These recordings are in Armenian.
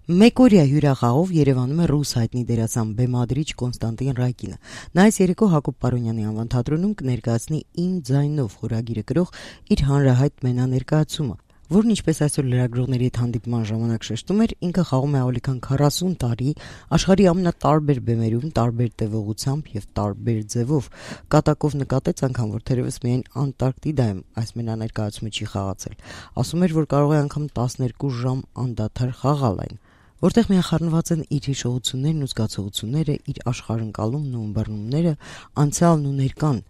Մեկօրյա հյուրախաղով Երևանում է ռուս հայտնի դերասան բեմադրիչ Կոնստանտին Ռայկինը։ Նա այս երեկո Հակոբ Պարոնյանի անվան թատրոնում կներկայացնի «Իմ ձայնով» խորագիրը գրող իր հանրահայտ մենաներկայացումը, որն ինչպես այսօր լրագրողների հետ հանդիպման ժամանակ շեշտում էր, ինքը խաղում է ավելի քան 40 տարի աշխարհի ամենատարբեր բեմերում, տարբեր տևողությամբ եւ տարբեր ձևով։ Կատակով նկատեց անգամ, որ թերևս միայն Անտարկտիդայում այս մենաներկայացումը չի խաղացել։ Ասում էր, որ կարող է անգամ 12 ժամ անդադար խաղալ այն, որտեղ միախառնված են իր հիշողություններն ու զգացողությունները, իր աշխարհընկալումն ու ըմբռնումները, անցյալն ու ներկան,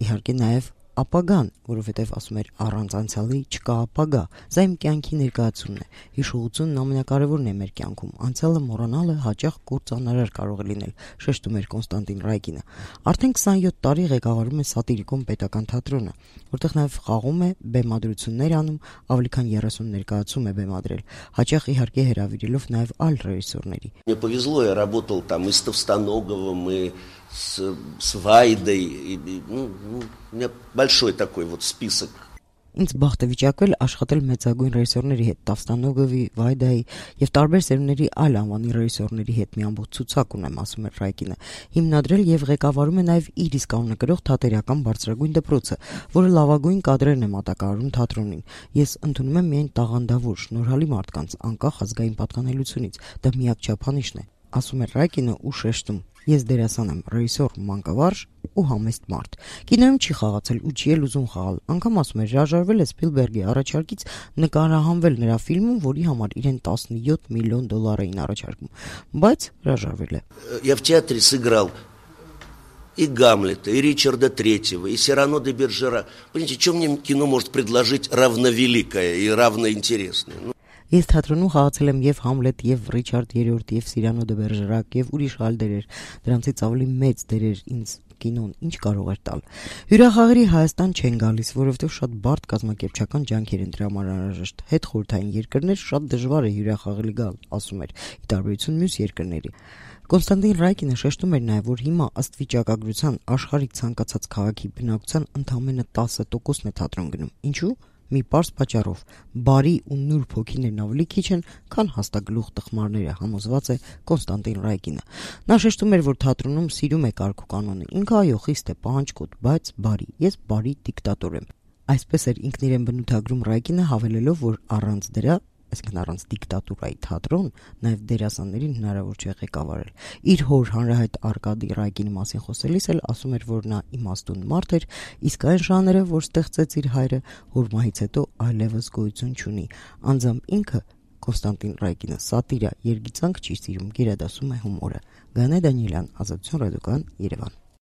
իհարկե նաև ապագան, որովհետև ասում էր առանց անցյալի չկա ապագա։ Սա իմ կյանքի ներկայացումն է։ Հիշողությունն ամենակարևորն է մեր կյանքում։ Անցյալը մոռանալը հաճախ կործանարար կարող է լինել, շեշտում էր Կոնստանտին Ռայկինը։ Արդեն 27 տարի ղեկավարում է Սատիրիկոն պետական թատրոնը, որտեղ նաև խաղում է, բեմադրություններ անում, ավելի քան 30 ներկայացում է бемադրել, հաճախ իհարկե հրավիրելով նաև այլ ռեժիսորների։ Мне повезло, я работал там и с Товстоноговым, и с Вайдой, у меня большой такой вот список. Ինձ բախտ է վիճակվել աշխատել մեծագույն ռեժիսորների հետ, Տավստանոգովի, Վայդայի եւ տարբեր սերունդների այլ անվանի ռեժիսորների հետ մի ամբողջ ցուցակ ունեմ, ասում է Ռայկինը։ Հիմնադրել եւ ղեկավարում է նաեւ իր իսկ անունը կրող թատերական բարձրագույն դպրոցը, որը լավագույն կադրերն է մատակարարում թատրոնին։ Ես ընդունում եմ միայն տաղանդավոր, շնորհալի մարդկանց, անկախ ազգային պատկանելությունից։ Դա միակ չափանիշն է, ասում է Ռայկինը ու շեշտում. Ես դերասան եմ, ռեժիսոր, մանկավարժ ու համեստ մարդ։ Կինոյում չի խաղացել ու չի էլ ուզում խաղալ։ Անգամ ասում է, հրաժարվել է Սպիլբերգի առաջարկից նկարահանվել նրա ֆիլմում, որի համար իրեն $17 միլիոն էին առաջարկում, բայց հրաժարվել է։ Я в театре сыграл и Гамлета, и Ричарда Третьего, и Сирано де Бержера. Понимаете, что мне кино может предложить равновеликое и равноинтересное? Ես թատրոնում խաղացել եմ եւ Համլետ, եւ Ռիչարդ III, եւ Սիրանո դե Բերժերակ, եւ ուրիշ այլ դերեր, դրանցից ավելի մեծ դերեր ինձ կինոն ինչ կարող էր տալ։ Հյուրախաղերի Հայաստան չեն գալիս, որովհետեւ շատ բարդ կազմակերպչական ջանքեր են դրա համար անհրաժեշտ։ Հետ խորհրդային երկրներ շատ դժվար է հյուրախաղելի գալ, ասում էր, ի տարբերություն մյուս երկրների։ Կոնստանտին Ռայկինը շեշտում էր նաև, որ հիմա ըստ վիճակագրության աշխարհի ցանկացած քաղաքի բնակության ընդամենը 10%-ն է թատրոն գնում։ Ինչու՞։ Մի պարզ պատճառով, բարի ու նուրբ հոգիներն ավելի քիչ են, քան հաստագլուխ տխմարները, համոզված է Կոնստանտին Ռայկինը։ Նա շեշտում էր, որ թատրոնում սիրում է կարգ ու կանոնը, ինքը այո խիստ է, պահանջկոտ, բայց բարի, ես բարի դիկտատոր եմ։ Այսպես էր ինքն իրեն բնութագրում Ռայկինը, հավելելով, որ առանց դրա, այսինքն առանց դիկտատուրայի թատրոն, նաև դերասաններին հնարավոր չէ ղեկավարել։ Իր հոր հանրահայտ Արկադի Ռայկինի մասին խոսելիս էլ ասում էր, որ նա իմաստուն մարդ էր, իսկ այն ժանրը, որ ստեղծեց իր հայրը, հոր մահից հետո այլևս գոյություն չունի։ Անձամբ ինքը Կոնստանտին Ռայկինը սատիրա, երգիծանք չի սիրում, գերադասում է հումորը։ Գանե Դանիելյան, Ազատություն ռադիոկայան, Երևան։